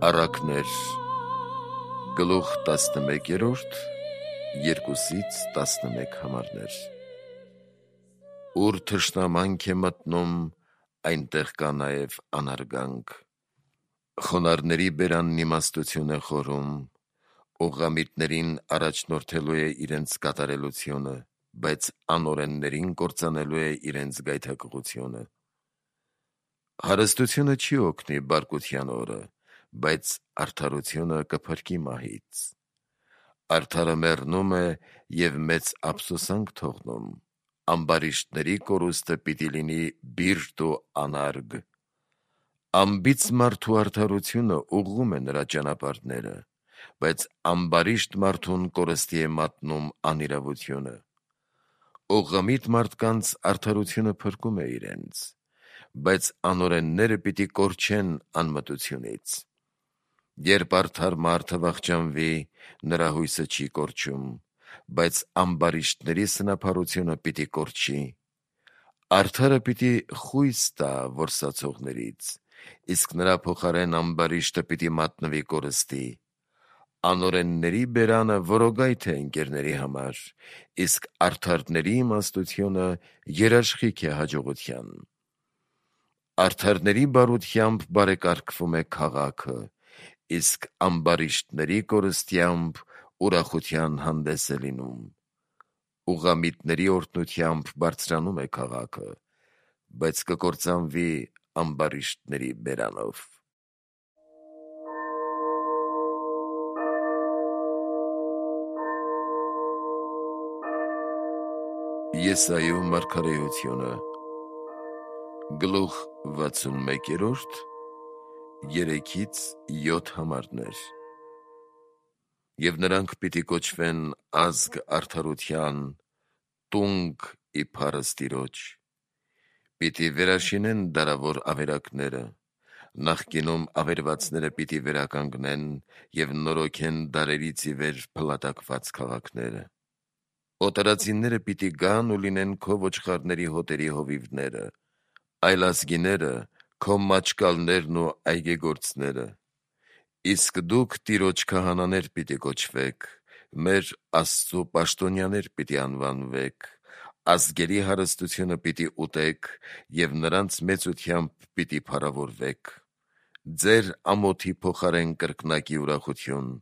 Առակներ գլուխ 11-րդ 2-ից 11 համարներ։ Ուր թշնամանք է մտնում, այնտեղ կա նաև անարգանք։ Խոնարհների բերանն իմաստություն է խորում, ուղղամիտներին առաջնորդելու է իրենց կատարելությունը, բայց անօրեններին կործանելու է իրենց գայթակղությունը։ Հարստությունը չի օգնի բարկության օրը, բայց արդարությունը կփրկի մահից։ Արդարը մեռնում է և մեծ ափսոսանք թողնում, ամբարիշտների կորուստը պիտի լինի բիրտ ու անարգ։ Անբիծ մարդու արդարությունը ուղղում է նրա ճանապարհները, բայց ամբարիշտ մարդուն կորստի է մատնում անիրավությունը։ Ուղղամիտ մարդկանց արդարությունը փրկում է իրենց, բայց անօրենները պիտի կորչեն անմտությունից։ Երբ արդար մարդը վախճանվի, նրա հույսը չի կորչում, բայց ամբարիշտների սնափառությունը պիտի կորչի։ Արդարը պիտի խույս տա որսացողներից, իսկ նրա փոխարեն ամբարիշտը պիտի մատնվի կորստի։ Անօրենների բերանը որոգայթ է ընկերների համար, իսկ արդարների իմաստությունը երաշխիք է հաջողության։ Արդարների բարությամբ բարեկարգվում է քաղաքը, իսկ ամբարիշտների կորստությամբ ուրախության հանդես է լինում։ Ուղղամիտների օրհնությամբ բարձրանում է քաղաքը, բայց կկործանվի ամբարիշտների բերանով։ Եսայու մարգարեությունը գլուխ 61 3-ից 7 համարներ։ Եվ նրանք պիտի կոչվեն ազգ արդարության, տունգ ի փառս Տիրոջ։ Պիտի վերաշինեն դարավոր ավերակները, նախկինում ավերվածները պիտի վերականգնեն և նորոգեն դարերից ի վեր փլատակված քաղաքները։ Օտարածինները պիտի գան ու լինեն քո ոչխարների հոտերի հովիվները, այլազգիները քո մաճկալներն ու այգեգործները։ Իսկ դուք Տիրոջ քահանաներ պիտի կոչվեք, մեր Աստծու պաշտոնյաներ պիտի անվանվեք, ազգերի հարստությունը պիտի ուտեք և նրանց մեծությամբ պիտի փառավորվեք։ Ձեր ամոթի փոխարեն կրկնակի ուրախություն,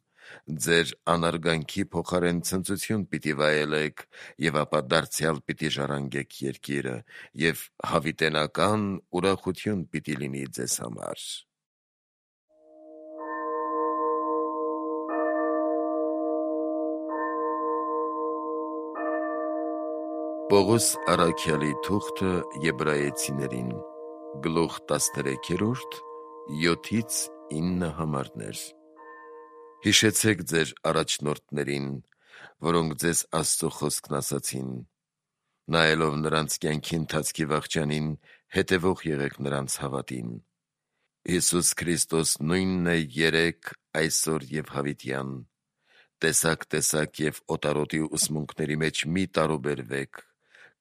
ձեր անարգանքի փոխարեն ցնծություն պիտի վայելեք, և ապա դարձյալ պիտի ժառանգեք երկիրը, և հավիտենական ուրախություն պիտի լինի ձեզ համար։ Պողոս առաքյալի թուղթը Եբրայեցիներին գլուխ 13 7-ից 9 համարներ։ Հիշեցեք ձեր առաջնորդներին, որոնք ձեզ Աստծո խոսքն ասացին, նայելով նրանց կյանքի ընթացքի վախճանին, հետևող եղեք նրանց հավատին։ Հիսուս Քրիստոս նույնն է երեկ, այսօր և հավիտյան։ Տեսակ և օտարոտի ուսմունքների մեջ մի տարուբերվեք,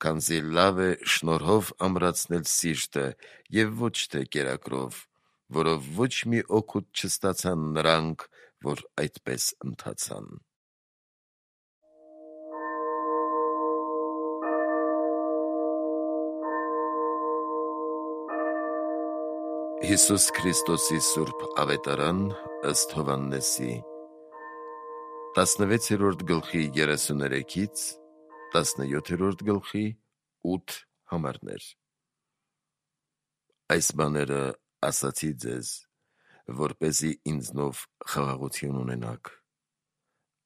քանզի լավ է շնորհով ամրացնել սիրտը և ոչ թե կերակրով, որով ոչ մի օգուտ չստացան նրանք, որ այդպես ընթացան։ Հիսուս Քրիստոսի սուրբ ավետարան ըստ Հովհաննեսի 16-րդ գլխի 33-ից 17-րդ գլխի 8 համարներ։ Այս բաները ասացի ձեզ, որպեսզի ինձնով խաղաղություն ունենաք։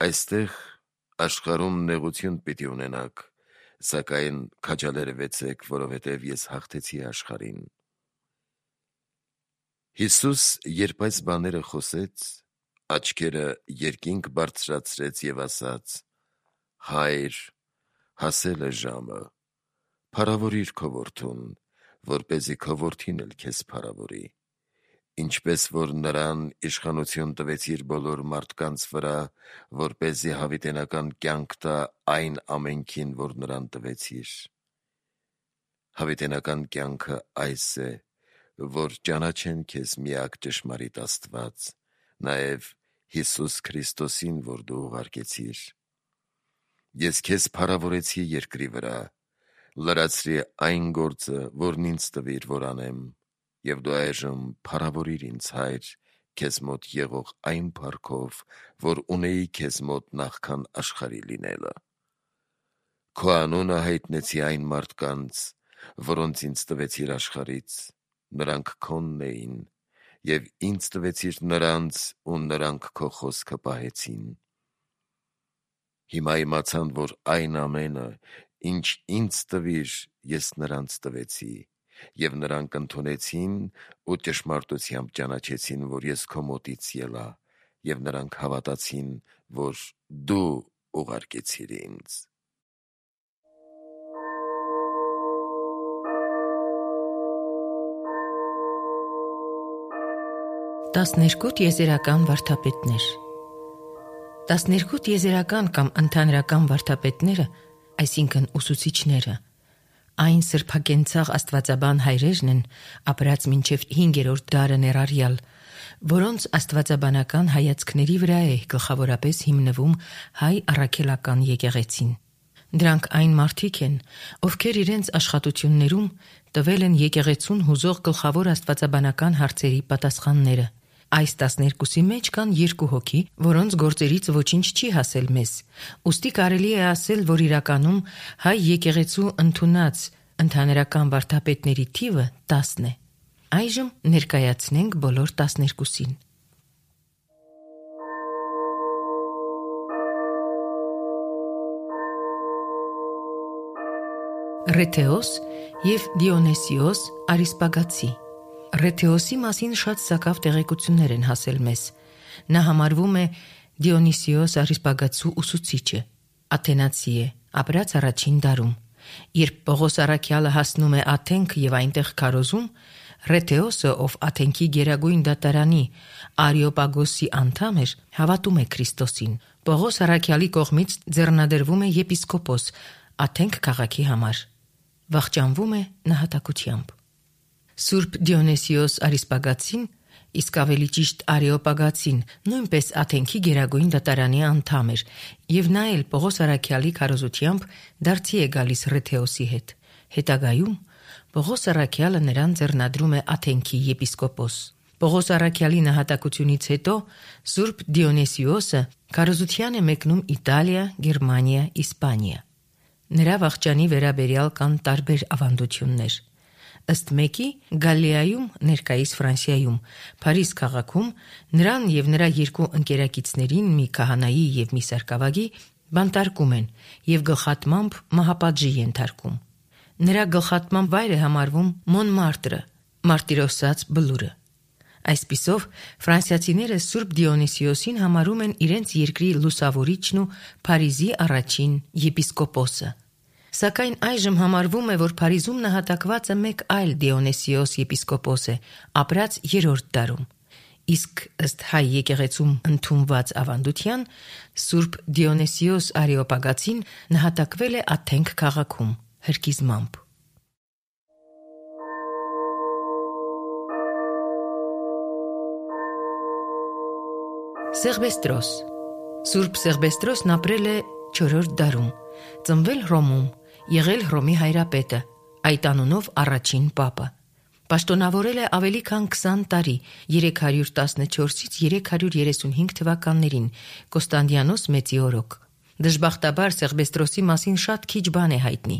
Այստեղ աշխարհում նեղություն պիտի ունենաք, սակայն քաջալերվեցեք, որովհետև ես հաղթեցի աշխարհին։ Հիսուս, երբ այս բաները խոսեց, աչքերը երկինք բարձրացրեց և ասաց. «Հայր, հասել է ժամը, փառավորիր քո որդուն, որպեսզի քո որդին էլ քեզ փառավորի, ինչպես որ նրան իշխանություն տվեցիր բոլոր մարդկանց վրա, որպեսզի հավիտենական կյանք տա այն ամենքին, որ նրան տվեցիր։ Հավիտենական կյանքը այս է, որ ճանաչեն քեզ միակ ճշմարիտ Աստված նաև Հիսուս Քրիստոսին, որ դու ուղարկեցիր։ Ես քեզ փառավորեցի երկրի վրա, լրացրի այն գործը, որն ինձ տվիր, որ անեմ, և դու այժմ փառավորիր ինձ, Հայր, քեզ մոտ եղող այն փառքով, որ ունեի քեզ մոտ նախքան աշխարհի լինելը։ Քո անունը հայտնեցի այն մարդկանց, որոնց ինձ տվեցիր աշխարհից, նրանք քոնն էին, և ինձ տվեցիր նրանց, ու նրանք քո խոսքը պահեցին։ Հիմա իմացան, որ այն ամենը, ինչ ինձ տվիր, ես նրանց տվեցի, և նրանք ընդունեցին ու ճշմարտությամբ ճանաչեցին, որ ես քո մոտից ելա, և նրանք հավատացին, որ դու ուղարկեցիր ինձ։ Տասներկութ եզերական վարդապետներ։ 12 եզերական կամ ընդհանրական վարդապետները, այսինքն ուսուցիչները, այն սրբակենցաղ աստվածաբան հայրերն են, ապրած մինչև 5-րդ դարը ներառյալ, որոնց աստվածաբանական հայացքների վրա է գլխավորապես հիմնվում հայ առաքելական եկեղեցին։ Դրանք այն մարդիկ են, ովքեր իրենց աշխատություններում տվել են եկեղեցուն հուզող գլխավոր աստվածաբանական հարցերի պատասխանները։ Այս 12-ի մեջ կան 2 հոգի, որոնց գործերից ոչինչ չի հասել մեզ, ուստի կարելի է ասել, որ իրականում հայ եկեղեցու ընդունած ընդհանրական վարդապետների թիվը 10 է։ Այժմ ներկայացնենք բոլոր 12-ին։ Ռեթեոս և Դիոնեսիոս Արիսպագացի։ Ռեթեոսի մասին շատ սակավ տեղեկություններ են հասել մեզ։ Նա համարվում է Դիոնիսիոս Արիսպագացու ուսուցիչը, աթենացի է, ապրած առաջին դարում։ Երբ Պողոս առաքյալը հասնում է Աթենք և այնտեղ քարոզում, Ռեթեոսը, ով Աթենքի գերագույն դատարանի Արիոպագոսի անդամ էր, հավատում է Քրիստոսին։ Պողոս առաքյալի կողմից ձեռնադրվում է եպիսկոպոս Աթենք քաղաքի համար։ Վախճանվում է նահատակությամբ։ Սուրբ Դիոնեսիոս Արիսպագացին, իսկ ավելի ճիշտ Արիոպագացին, նույնպես Աթենքի գերագույն դատարանի անդամ էր, և նա էլ Պողոս առաքյալի քարոզությամբ դարձի է գալիս Ռեթեոսի հետ։ Հետագայում Պողոս առաքյալը նրան ձեռնադրում է Աթենքի եպիսկոպոս։ Պողոս առաքյալի նահատակությունից հետո Սուրբ Դիոնեսիոսը քարոզության է մեկնում Իտալիա, Գերմանիա, Իսպանիա։ Նրա վախճանի վերաբերյալ կան տարբեր ավանդություններ։ Ըստ մեկի, Գալիայում, ներկայիս Ֆրանսիայում, Փարիզ քաղաքում նրան և նրա 2 ընկերակիցներին, մի քահանայի և մի սարկավագի, բանտարկում են և գլխատմամբ մահապատժի ենթարկում։ Նրա գլխատման վայր է համարվում Մոնմարտրը, Մարտիրոսաց բլուրը։ Այսպիսով, ֆրանսիացիները Սուրբ Դիոնիսիոսին համարում են իրենց երկրի լուսավորիչն ու Փարիզի առաջին եպիսկոպոսը։ Սակայն այժմ համարվում է, որ Փարիզում նահատակվածը մեկ այլ Դիոնեսիոս եպիսկոպոս է, ապրած 3-րդ դարում։ Իսկ ըստ հայ եկեղեցում ընդունված ավանդության, Սուրբ Դիոնեսիոս Արիոպագացին նահատակվել է Աթենք քաղաքում հրկիզմամբ։ Սեղբեստրոս։ Սուրբ Սեղբեստրոսն ապրել է 4-րդ դարում, ծնվել Հռոմում, եղել Հռոմի հայրապետը, այդ անունով առաջին պապը։ Պաշտոնավորել է ավելի քան 20 տարի, 314-ից 335 թվականներին, Կոստանդիանոս Մեծի օրոք։ Դժբախտաբար Սեղբեստրոսի մասին շատ քիչ բան է հայտնի։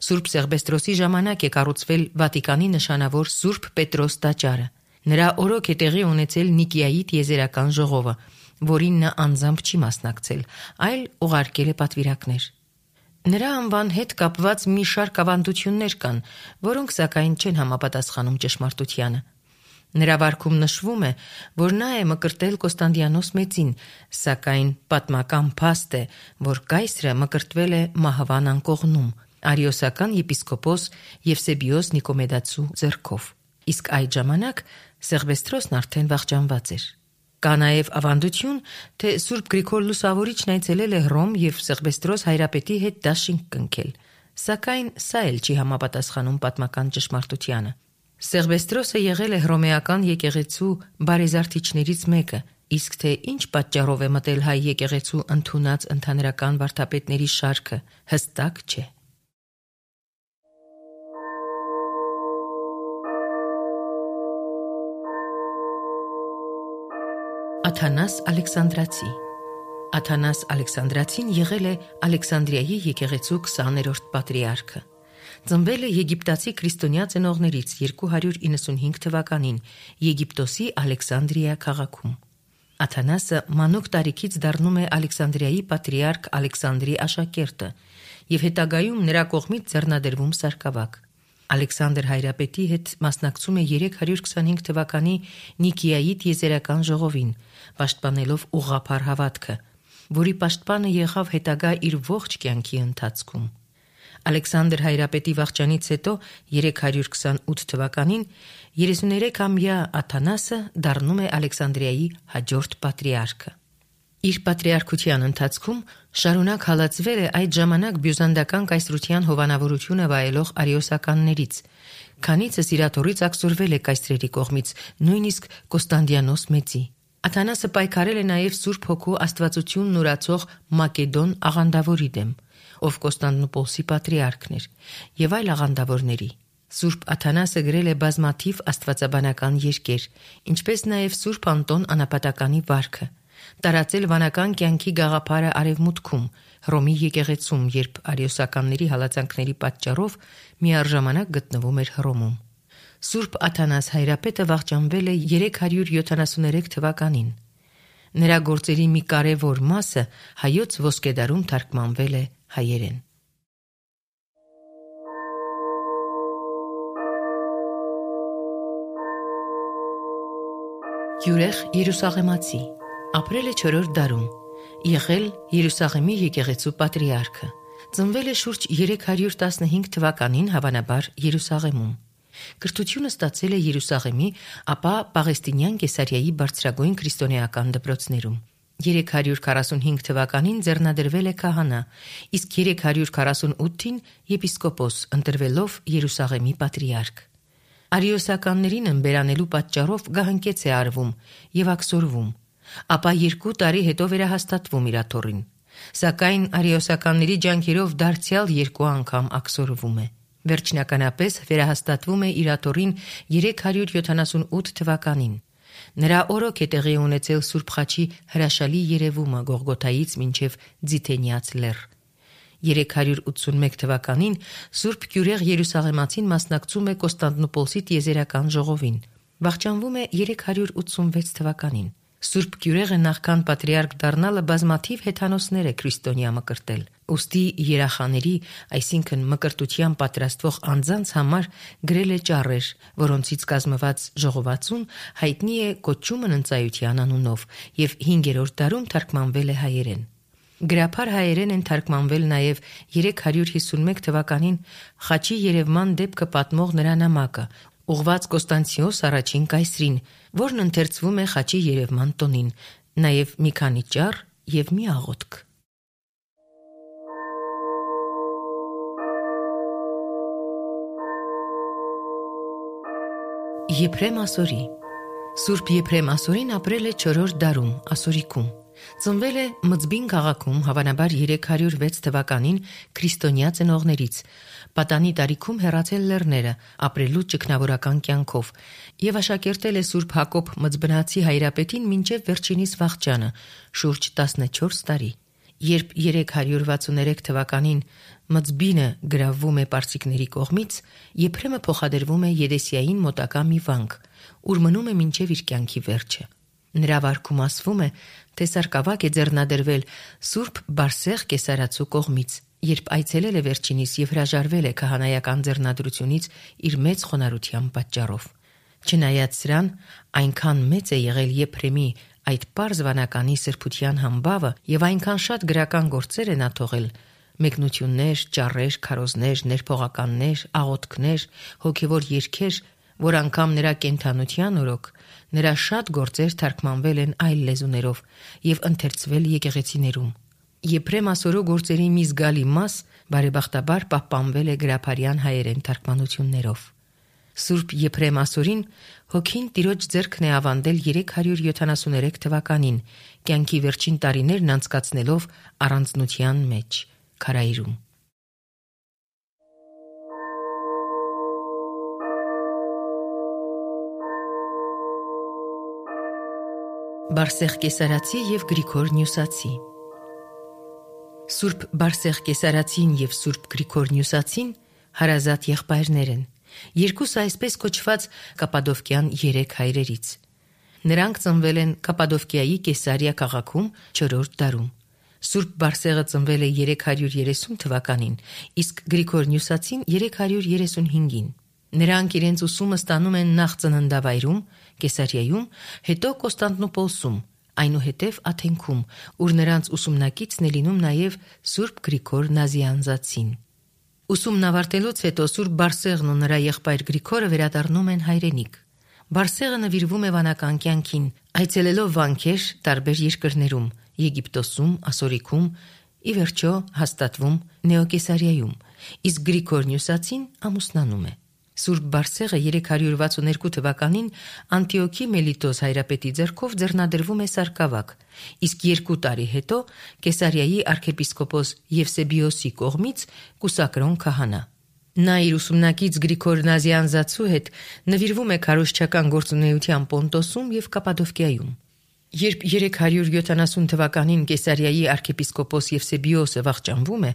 Սուրբ Սեղբեստրոսի ժամանակ է կառուցվել Վատիկանի նշանավոր Սուրբ Պետրոս տաճարը։ Նրա օրոք է տեղի ունեցել Նիկիայի տիեզերական ժողովը, որին նա անձամբ չի մասնակցել, այլ ուղարկել է պատվիրակներ։ Նրա անվան հետ կապված մի շարք ավանդություններ կան, որոնք սակայն չեն համապատասխանում ճշմարտությանը։ Նրա վարքում նշվում է, որ նա է մկրտել Կոստանդիանոս Մեծին, սակայն պատմական փաստ է, որ կայսրը մկրտվել է Մահվան անկողնում, արիոսական եպիսկոպոս Եվսեբիոս Նիկոմեդացու ձեռքով։ Իսկ այդ ժամանակ Սեղբեստրոսն արդեն վախճանված էր։ Կա նաև ավանդություն, թե Սուրբ Գրիգոր Լուսավորիչն այցելել է Հռոմ և Սեղբեստրոս հայրապետի հետ դաշինք կնքել, սակայն սա էլ չի համապատասխանում պատմական ճշմարտությանը։ Սեղբեստրոսը եղել է հռոմեական եկեղեցու բարեզարդիչներից մեկը, իսկ թե ինչ պատճառով է մտել հայ եկեղեցու ընդունած ընդհանրական վարդապետների շարքը, հստակ չէ։ Աթանաս Ալեքսանդրացի Աթանաս Ալեքսանդրացին եղել է Ալեքսանդրիայի եկեղեցու 20-րդ պատրիարքը։ Ծնվել է եգիպտացի քրիստոնյա ծնողներից 295 թվականին Եգիպտոսի Ալեքսանդրիա քաղաքում։ Աթանասը մանուկ տարիքից դառնում է Ալեքսանդրիայի պատրիարք Ալեքսանդրի աշակերտը եւ հետագայում նրա կողմից ձեռնադրվում սարկավակ։ Ալեքսանդր Հայրապետի հետ մասնակցում է 325 թվականի Նիկիայի տիեզերական ժողովին, պաշտպանելով ուղղափառ հավատքը, որի պաշտպանը եղավ հետագա իր ողջ կյանքի ընթացքում։ Ալեքսանդր Հայրապետի վախճանից հետո 328 թվականին 33-ամյա Աթանասը դառնում է Ալեքսանդրիայի հաջորդ պատրիարքը։ Իր պատրիարքության ընթացքում շարունակ հալածվել է այդ ժամանակ բյուզանդական կայսրության հովանավորությունը վայելող արիոսականներից, քանիցը սիրաթորից ակսորվել է կայսրերի կողմից, նույնիսկ Կոստանդիանոս Մեծի։ Աթանասը պայքարել է նաև Սուրբ Հոգու աստվածությունն ուրացող Մակեդոն աղանդավորի դեմ, ով Կոստանդնուպոլսի պատրիարքն էր, եւ այլ աղանդավորների։ Սուրբ Աթանասը գրել է բազմաթիվ աստվածաբանական երկեր, ինչպես նաև Սուրբ Անտոն Անապատականի վարքը, տարածել վանական կյանքի գաղափարը արևմուտքում, Հռոմի եկեղեցում, երբ արիոսականների հալածանքների պատճառով միառժամանակ գտնվում էր Հռոմում։ Սուրբ Աթանաս Հայրապետը վախճանվել է 373 թվականին։ Նրա գործերի մի կարևոր մասը հայոց ոսկեդարում թարգմանվել է հայերեն։ Յուրեղ Երուսաղեմացի, ապրել է 4-րդ դարում, եղել Երուսաղեմի եկեղեցու պատրիարքը, ծնվել է շուրջ 315 թվականին հավանաբար Երուսաղեմում։ Կրթությունը ստացել է Երուսաղեմի, ապա Պաղեստինյան Կեսարիայի բարձրագույն քրիստոնեական դպրոցներում։ 345 թվականին ձեռնադրվել է քահանա, իսկ 348-ին եպիսկոպոս, ընտրվելով Երուսաղեմի պատրիարք։ Արիոսականներին ըմբերանելու պատճառով գահանքեց է արվում եւ ակսորվում, ապա 2 տարի հետո վերահաստատվում իր աթոռին, սակայն արիոսականների ջանքերով դարձյալ 2 անգամ ակսորվում է։ Վերջնականապես վերահաստատվում է իր աթոռին 378 թվականին։ Նրա օրոք է տեղի ունեցել Սուրբ Խաչի հրաշալի երևումը Գողգոթայից մինչև Ձիթենյաց լեռ։ 381 թվականին Սուրբ Գյուրեղ Երուսաղեմացին մասնակցում է Կոստանդնուպոլսի տիեզերական ժողովին։ Վախճանվում է 386 թվականին։ Սուրբ Գյուրեղը նախքան պատրիարք դառնալը բազմաթիվ հեթանոսներ է քրիստոնյա մկրտել։ Ուստի երախաների, այսինքն մկրտության պատրաստվող անձանց համար գրել է ճառեր, որոնցից կազմված ժողովածուն հայտնի է Կոչումն ընծայության անունով եւ 5-րդ դարում թարգմանվել է հայերեն։ Գրափար հայերեն են թարգմանվել նաև 351 թվականին Խաչի երևման դեպքը պատմող նրա նամակը, ուղված Կոստանցիոս առաջին կայսրին, որն ընթերցվում է Խաչի երևման տոնին, նաև մի քանի ճառ եւ մի աղոթք։ Եփրեմ Ասորի Սուրբ Եփրեմ Ասորին ապրել է 4-րդ դարում, Ասորիկում։ Ծնվել է Մծբին քաղաքում հավանաբար 306 թվականին քրիստոնյա ծնողներից, պատանի տարիքում հեռացել լեռները, ապրելու ճգնավորական կյանքով եւ աշակերտել է Սուրբ Հակոբ Մծբնացի Հայրապետին մինչև վերջինիս վախճանը, շուրջ 14 տարի։ Երբ 363 թվականին Մծբինը գրավվում է պարսիկների կողմից, Եփրեմը փոխադրվում է Եդեսիային մոտակա մի վանք, ուր մնում է մինչև իր կյանքի վերջը։ Նրա վարքում ասվում է, թե սարկավակ է ձեռնադրվել Սուրբ Բարսեղ Կեսարացու կողմից, երբ այցելել է վերջինիս եւ հրաժարվել է քահանայական ձեռնադրությունից իր մեծ խոնարհության պատճառով։ Չնայած սրան, այնքան մեծ է եղել Եփրեմի այդ պարզ վանականի սրբության համբավը եւ այնքան շատ գրական գործեր է նա թողել, մեկնություններ, ճառեր, քարոզներ, ներփողականներ, աղոթքներ, հոգեվոր երգեր, որ անգամ նրա կենթանության օրոք նրա շատ գործեր թարգմանվել են այլ լեզուներով եւ ընթերցվել եկեղեցիներում։ Եփրեմ Ասորո գործերի մի զգալի մաս բարեբախտաբար պահպանվել է գրափարյան հայերեն թարգմանություններով։ Սուրբ Եփրեմ ասորին հոգին Տիրոջ ձեռքն է ավանդել 373 թվականին, կյանքի վերջին տարիներն անցկացնելով առանձնության մեջ, քարայրում։ Բարսեղ Կեսարացի եւ Գրիգոր Նյուսացի։ Սուրբ Բարսեղ Կեսարացին եւ Սուրբ Գրիգոր Նյուսացին հարազատ եղբայրներ են, երկուսը այսպես կոչված Կապադովկյան 3 հայրերից։ Նրանք ծնվել են Կապադովկիայի Կեսարիա քաղաքում 4-րդ դարում։ Սուրբ Բարսեղը ծնվել է 330 թվականին, իսկ Գրիգոր Նյուսացին 335-ին։ Նրանք իրենց ուսումը ստանում են նախ ծննդավայրում, Կեսարիայում, հետո Կոստանդնուպոլսում, այնուհետև Աթենքում, ուր նրանց ուսումնակիցն է լինում նաև Սուրբ Գրիգոր Նազիանզացին։ Ուսումն ավարտելուց հետո Սուրբ Բարսեղն ու նրա եղբայր Գրիգորը վերադառնում են հայրենիք։ Բարսեղը նվիրվում է վանական կյանքին, այցելելով վանքեր տարբեր երկրներում՝ Եգիպտոսում, Ասորիքում, ի վերջո հաստատվում Նեոկեսարիայում, իսկ Գրիգոր Նյուսացին ամուսնանում է։ Սուրբ Բարսեղը 362 թվականին Անտիոքի Մելիտոս հայրապետի ձեռքով ձեռնադրվում է սարկավակ, իսկ 2 տարի հետո Կեսարիայի arczepiskopos Եվսեբիոսի կողմից կուսակրոն քահանա։ Նա իր ուսումնակից Գրիգոր Նազիանզացու հետ նվիրվում է քարոզչական գործունեության Պոնտոսում եւ Կապադովկիայում։ Երբ 370 թվականին Կեսարիայի arczepiskopos Եվսեբիոսը վախճանվում է,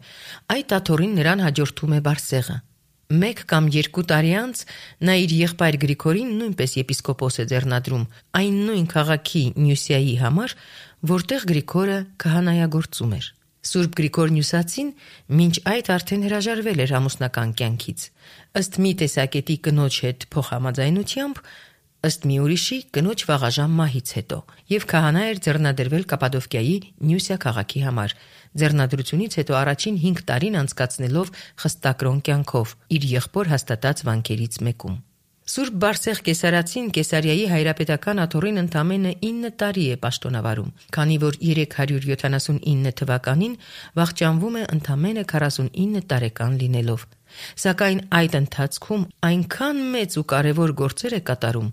այդ աթոռին նրան հաջորդում է Բարսեղը։ 1 կամ 2 տարի անց նա իր եղբայր Գրիգորին նույնպես եպիսկոպոս է ձեռնադրում այն նույն քաղաքի Նյուսիայի համար, որտեղ Գրիգորը քահանայագործում էր։ Սուրբ Գրիգոր Նյուսացին մինչ այդ արդեն հրաժարվել էր ամուսնական կյանքից, ըստ մի տեսակետի կնոջ հետ փոխհամաձայնությամբ, ըստ մի ուրիշի կնոջ վաղաժամ մահից հետո, եւ քահանա էր ձեռնադրվել Կապադովկիայի Նյուսիա քաղաքի համար, ձեռնադրությունից հետո առաջին 5 տարին անցկացնելով խստակրոն կյանքով իր եղբոր հաստատած վանքերից մեկում։ Սուրբ Բարսեղ Կեսարացին Կեսարիայի հայրապետական աթոռին ընդամենը 9 տարի է պաշտոնավարում, քանի որ 379 թվականին վախճանվում է ընդամենը 49 տարեկան լինելով։ Սակայն այդ ընթացքում այնքան մեծ ու կարևոր գործեր է կատարում,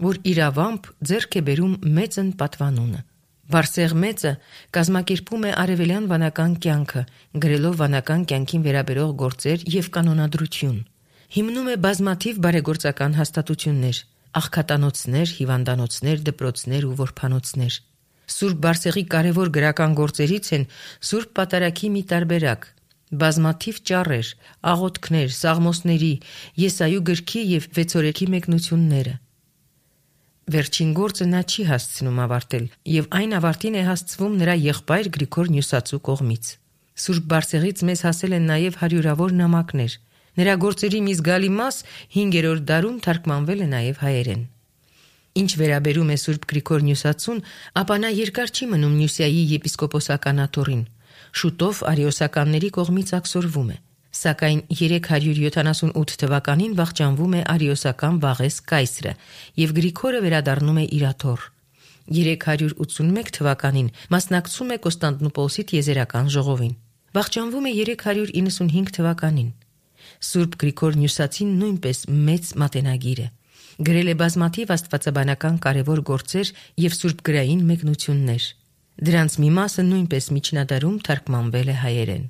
որ իրավամբ ձեռք է բերում մեծն պատվանունը։ Բարսեղ մեծը կազմակերպում է արևելյան վանական կյանքը, գրելով վանական կյանքին վերաբերող գործեր եւ կանոնադրություն։ Հիմնում է բազմաթիվ բարեգործական հաստատություններ, աղքատանոցներ, հիվանդանոցներ, դպրոցներ ու որբանոցներ։ Սուրբ Բարսեղի կարևոր գրական գործերից են Սուրբ Պատարագի մի տարբերակ, բազմաթիվ ճառեր, աղոթքներ, սաղմոսների, Եսայու գրքի եւ Վեցորեքի մեկնությունները։ Վերջին գործը նա չի հասցնում ավարտել, եւ այն ավարտին է հասցվում նրա եղբայր Գրիգոր Նյուսացու կողմից։ Սուրբ Բարսեղից մեզ հասել են նաեւ հարյուրավոր նամակներ։ Նրա գործերի մի զգալի մաս 5-րդ դարում թարգմանվել է նաեւ հայերեն։ Ինչ վերաբերում է Սուրբ Գրիգոր Նյուսացուն, ապա նա երկար չի մնում Նյուսիայի եպիսկոպոսական աթոռին։ Շուտով արիոսականների կողմից աքսորվում է, սակայն 378 թվականին վախճանվում է արիոսական Վաղես կայսրը եւ Գրիգորը վերադառնում է իր աթոռ։ 381 թվականին մասնակցում է Կոստանդնուպոլսի տիեզերական ժողովին։ Վախճանվում է 395 թվականին։ Սուրբ Գրիգոր Նյուսացին նույնպես մեծ մատենագիր է։ Գրել է բազմաթիվ աստվածաբանական կարևոր գործեր եւ սուրբգրային մեկնություններ։ Դրանց մի մասը նույնպես միջնադարում թարգմանվել է հայերեն։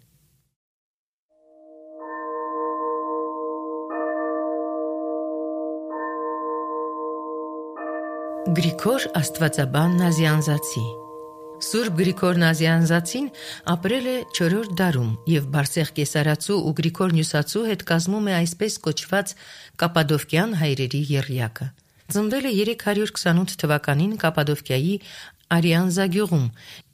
Գրիգոր Աստվածաբան Նազիանզացի։ Սուրբ Գրիգոր Նազիանզացին ապրել է 4-րդ դարում եւ Բարսեղ Կեսարացու ու Գրիգոր Նյուսացու հետ կազմում է այսպես կոչված Կապադովկյան հայրերի եռյակը։ Ծնվել է 328 թվականին Կապադովկիայի Արիանզա գյուղում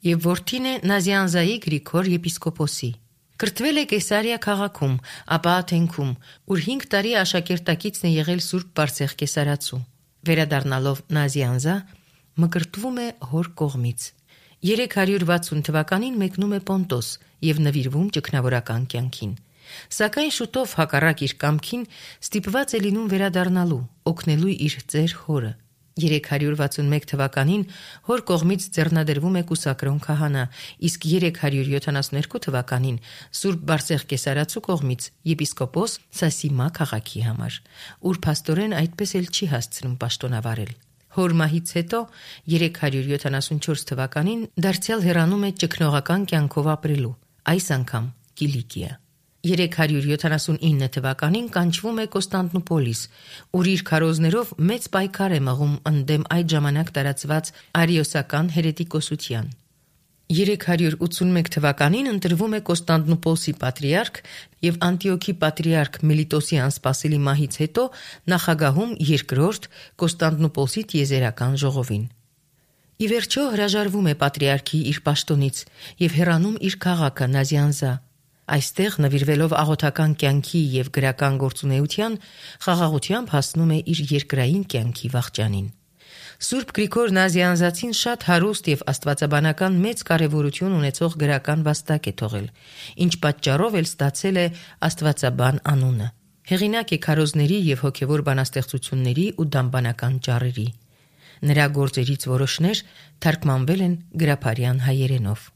եւ որդին է Նազիանզայի Գրիգոր եպիսկոպոսի։ Կրթվել է Կեսարիա քաղաքում, ապա Աթենքում, ուր 5 տարի աշակերտակիցն է եղել Սուրբ Բարսեղ Կեսարացու։ Վերադառնալով Նազիանզա, մկրտվում է հոր կողմից։ 360 թվականին մեկնում է Պոնտոս եւ նվիրվում ճգնավորական կյանքին։ Սակայն շուտով հակառակ իր կամքին ստիպված է լինում վերադառնալու, օգնելու իր ծեր հորը։ 361 թվականին հոր կողմից ձեռնադրվում է Կուսակրոն քահանա, իսկ 372 թվականին Սուրբ Բարսեղ Կեսարացու կողմից եպիսկոպոս Սասիմա քաղաքի համար, ուր փաստորեն այդպես էլ չի հասցնում պաշտոնավարել։ Հոր մահից հետո 374 թվականին դարձյալ հեռանում է ճգնողական կյանքով ապրելու, այս անգամ Կիլիկիա։ 379 թվականին կանչվում է Կոստանդնուպոլիս, ուր իր քարոզներով մեծ պայքար է մղում ընդդեմ այդ ժամանակ տարածված արիոսական հերետիկոսության։ 381 թվականին ընտրվում է Կոստանդնուպոլսի պատրիարք եւ Անտիոքի պատրիարք Միլիտոսի անսպասելի մահից հետո նախագահում երկրորդ Կոստանդնուպոլսի տիեզերական ժողովին։ Ի վերջո հրաժարվում է պատրիարքի իր պաշտոնից եւ հեռանում իր քաղաքը Նազյանզա։ Այստեղ նվիրվելով աղոթական կյանքի եւ գրական գործունեության, խաղաղությամբ հասնում է իր երկրային կյանքի վախճանին։ Սուրբ Գրիգոր Նազյանզացին շատ հարուստ եւ աստվածաբանական մեծ կարեւորություն ունեցող գրական վաստակ է թողել, ինչ պատճառով էլ ստացել է աստվածաբան անունը։ Հեղինակ է քարոզների եւ հոգեվոր բանաստեղծությունների ու դամբանական ճառերի։ Նրա գործերից որոշներ թարգմանվել են գրափարյան հայերենով։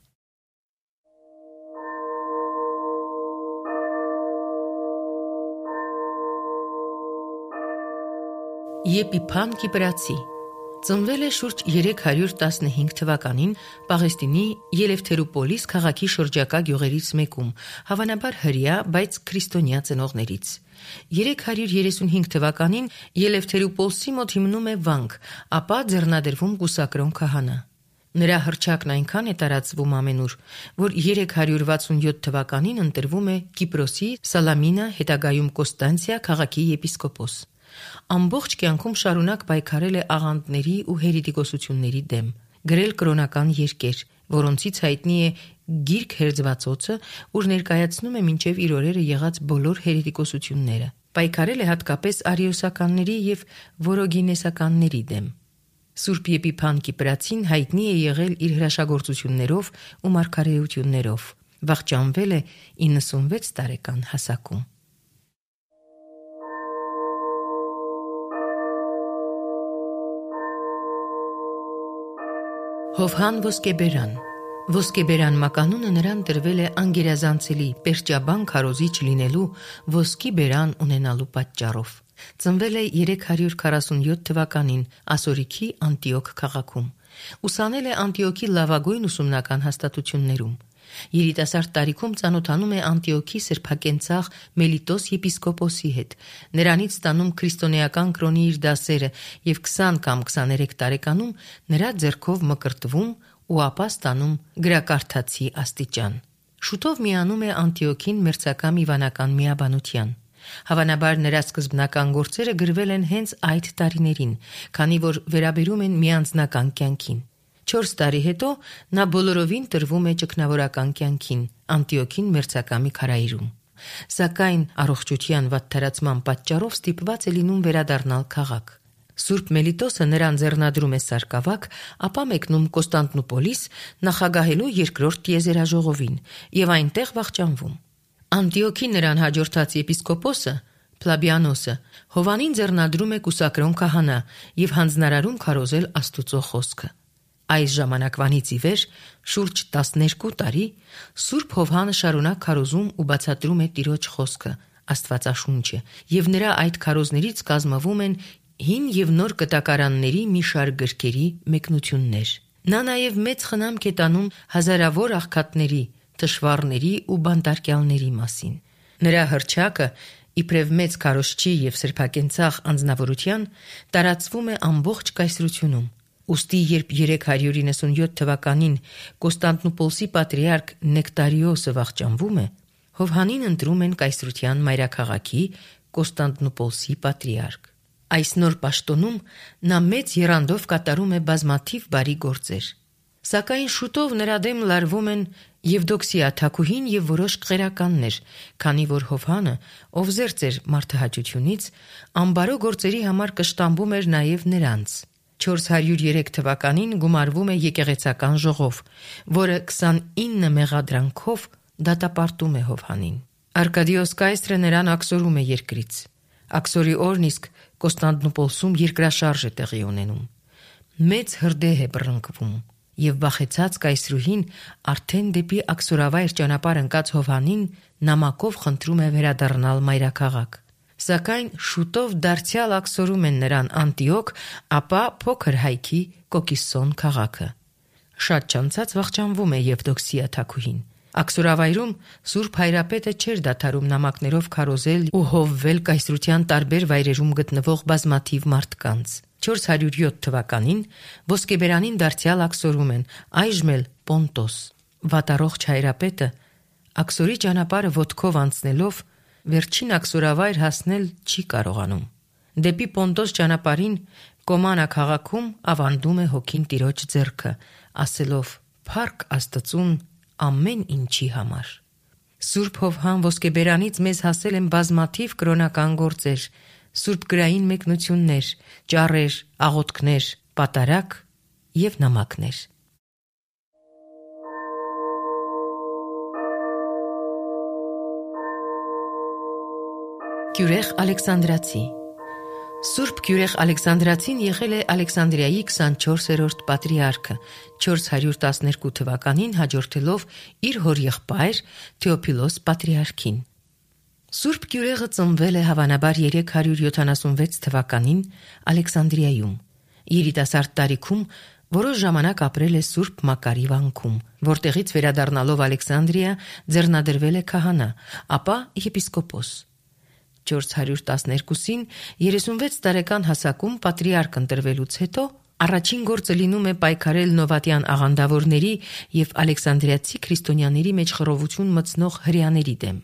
Եփիփան Կիպրացի ծնվել է շուրջ 315 թվականին Պաղեստինի Ելևթերուպոլիս քաղաքի շրջակա գյուղերից մեկում, հավանաբար հրեա, բայց քրիստոնյա ծնողներից։ 335 թվականին Ելևթերուպոլսի մոտ հիմնում է վանք, ապա ձեռնադրվում Կուսակրոն քահանա։ Նրա հռչակն այնքան է տարածվում ամենուր, որ 367 թվականին ընտրվում է Կիպրոսի Սալամինա, հետագայում Կոստանցիա քաղաքի եպիսկոպոս։ Ամբողջ կյանքում շարունակ պայքարել է աղանդների ու հերետիկոսությունների դեմ, գրել կրոնական երկեր, որոնցից հայտնի է Գիրք հերձվածոցը, ուր ներկայացնում է մինչև իր օրերը եղած բոլոր հերետիկոսությունները։ Պայքարել է հատկապես արիոսականների եւ որոգինեսականների դեմ։ Սուրբ Եփիփան Կիպրացին հայտնի է եղել իր հրաշագործություններով ու մարգարեություններով։ Վախճանվել է 96 տարեկան հասակում։ Հովհան Ոսկեբերան Ոսկեբերան մականունը նրան տրվել է անգերազանցելի պերճաբան քարոզիչ լինելու ոսկի բերան ունենալու պատճառով։ Ծնվել է 347 թվականին Ասորիքի Անտիոք քաղաքում։ Ուսանել է Անտիոքի լավագույն ուսումնական հաստատություններում։ Երիտասարդ տարիքում ծանոթանում է Անտիոքի սրբակենցաղ Մելիտոս եպիսկոպոսի հետ, նրանից ստանում քրիստոնեական կրոնի իր դասերը եւ 20 կամ 23 տարեկանում նրա ձեռքով մկրտվում ու ապա ստանում գրակարդացի աստիճան։ Շուտով միանում է Անտիոքին մերձակամ իվանական միաբանության։ Հավանաբար նրա սկզբնական գործերը գրվել են հենց այդ տարիներին, քանի որ վերաբերում են միանձնական կյանքին։ 4 տարի հետո նա բոլորովին տրվում է ճգնավորական կյանքին, Անտիոքին մերձակամի քարայրում։ Սակայն առողջության վատթարացման պատճառով ստիպված է լինում վերադառնալ քաղաք։ Սուրբ Մելիտոսը նրան ձեռնադրում է Սարկավակ, ապա մեկնում Կոստանդնուպոլիս նախագահելու երկրորդ տիեզերաժողովին եւ այնտեղ վախճանվում։ Անտիոքի նրան հաջորդած եպիսկոպոսը Պլաբիանոսը Հովանին ձեռնադրում է Կուսակրոն քահանա եւ հանձնարարում քարոզել Աստուծո խոսքը։ Այս ժամանակվանից ի վեր շուրջ 12 տարի Սուրբ Հովհանը շարունակ քարոզում ու բացատրում է Տիրոջ խոսքը, Աստվածաշունչը, եւ նրա այդ քարոզներից կազմվում են հին եւ նոր կտակարանների մի շարք գրքերի մեկնություններ։ Նա նաեւ մեծ խնամք է տանում հազարավոր աղքատների, թշվառների ու բանտարկյալների մասին։ Նրա հռչակը իբրև մեծ քարոզչի եւ սրբակենցաղ անձնավորության տարածվում է ամբողջ կայսրությունում։ Ուստի երբ 397 թվականին Կոստանդնուպոլսի պատրիարք Նեկտարիոսը վախճանվում է, Հովհանին ընտրում են կայսրության մայրաքաղաքի Կոստանդնուպոլսի պատրիարք։ Այս նոր պաշտոնում նա մեծ եռանդով կատարում է բազմաթիվ բարի գործեր։ Սակայն շուտով նրա դեմ լարվում են Եվդոքսիա թագուհին եւ որոշ կղերականներ, քանի որ Հովհանը, ով զերծ էր մարդահաճությունից, ամբարո գործերի համար կշտամբում էր նաեւ նրանց։ 403 թվականին գումարվում է եկեղեցական ժողով, որը 29 մեղադրանքով դատապարտում է Հովհանին։ Արկադիոս կայսրը նրան աքսորում է երկրից։ Աքսորի օրն իսկ Կոստանդնուպոլսում երկրաշարժ է տեղի ունենում։ Մեծ հրդեհ է բռնկվում, եւ վախեցած կայսրուհին արդեն դեպի աքսորավայր ճանապարհ ընկած Հովհանին նամակով խնդրում է վերադառնալ մայրաքաղաք։ Սակայն շուտով դարձյալ աքսորում են նրան Անտիոք, ապա փոքր հայքի Կոկիսոն քաղաքը։ Շատ չանցած վախճանվում է Եվդոքսիա թագուհին։ Աքսորավայրում Սուրբ Հայրապետը չէր դադարում նամակներով քարոզել ու հովվել կայսրության տարբեր վայրերում գտնվող բազմաթիվ մարդկանց։ 407 թվականին ոսկեբերանին դարձյալ աքսորում են, այժմ էլ Պոնտոս։ Վատառողջ Հայրապետը աքսորի ճանապարհը ոտքով անցնելով վերջին աքսորավայր հասնել չի կարողանում։ Դեպի Պոնտոս ճանապարհին Կոմանա քաղաքում ավանդում է հոգին տիրոջ ձեռքը, ասելով. «Փառք Աստծուն ամեն ինչի համար»։ Սուրբ Հովհան ոսկեբերանից մեզ հասել են բազմաթիվ կրոնական գործեր, սուրբ գրային մեկնություններ, ճառեր, աղոթքներ, պատարագ եւ նամակներ։ Գյուրեղ Ալեքսանդրացի Սուրբ Գյուրեղ Ալեքսանդրացին եղել է Ալեքսանդրիայի 24-րդ պատրիարքը, 412 թվականին հաջորդելով իր հորեղբայր Թեոփիլոս պատրիարքին։ Սուրբ Գյուրեղը ծնվել է հավանաբար 376 թվականին Ալեքսանդրիայում։ Երիտասարդ տարիքում որոշ ժամանակ ապրել է Սուրբ Մակարի վանքում, որտեղից վերադառնալով Ալեքսանդրիա ձեռնադրվել է քահանա, ապա եպիսկոպոս։ 412-ին 36 տարեկան հասակում պատրիարք ընտրվելուց հետո առաջին գործը լինում է պայքարել նովատյան աղանդավորների եւ ալեքսանդրիացի քրիստոնյաների մեջ խռովություն մտցնող հրեաների դեմ։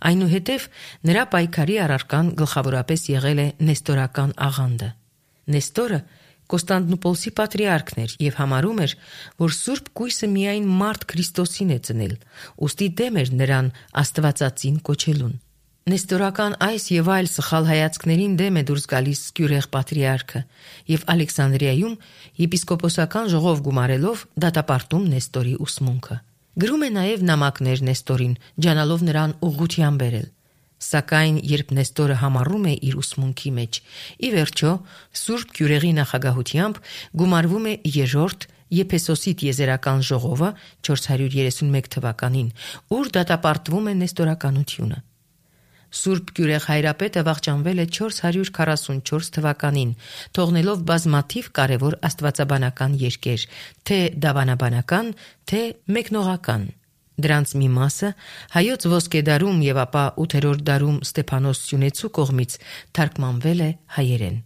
Այնուհետև նրա պայքարի առարկան գլխավորապես եղել է նեստորական աղանդը։ Նեստորը Կոստանդնուպոլսի պատրիարքն էր եւ համարում էր, որ Սուրբ Կույսը միայն մարդ Քրիստոսին է ծնել, ուստի դեմ էր նրան Աստվածածին կոչելուն։ Նեստորական այս եւ այլ սխալ հայացքներին դեմ է դուրս գալիս Գյուրեղ պատրիարքը եւ Ալեքսանդրիայում եպիսկոպոսական ժողով գումարելով դատապարտում Նեստորի ուսմունքը։ Գրում է նաեւ նամակներ Նեստորին, ջանալով նրան ուղղության բերել։ Սակայն երբ Նեստորը համառում է իր ուսմունքի մեջ, ի վերջո Սուրբ Գյուրեղի նախագահությամբ գումարվում է երրորդ Եփեսոսի տիեզերական ժողովը 431 թվականին, ուր դատապարտվում է նեստորականությունը։ Սուրբ Գյուրեղ Հայրապետը վախճանվել է 444 թվականին, թողնելով բազմաթիվ կարևոր աստվածաբանական երկեր, թե դավանաբանական, թե մեկնողական։ Դրանց մի մասը հայոց ոսկե դարում եւ ապա 8-րդ դարում Ստեփանոս Սյունեցու կողմից թարգմանվել է հայերեն։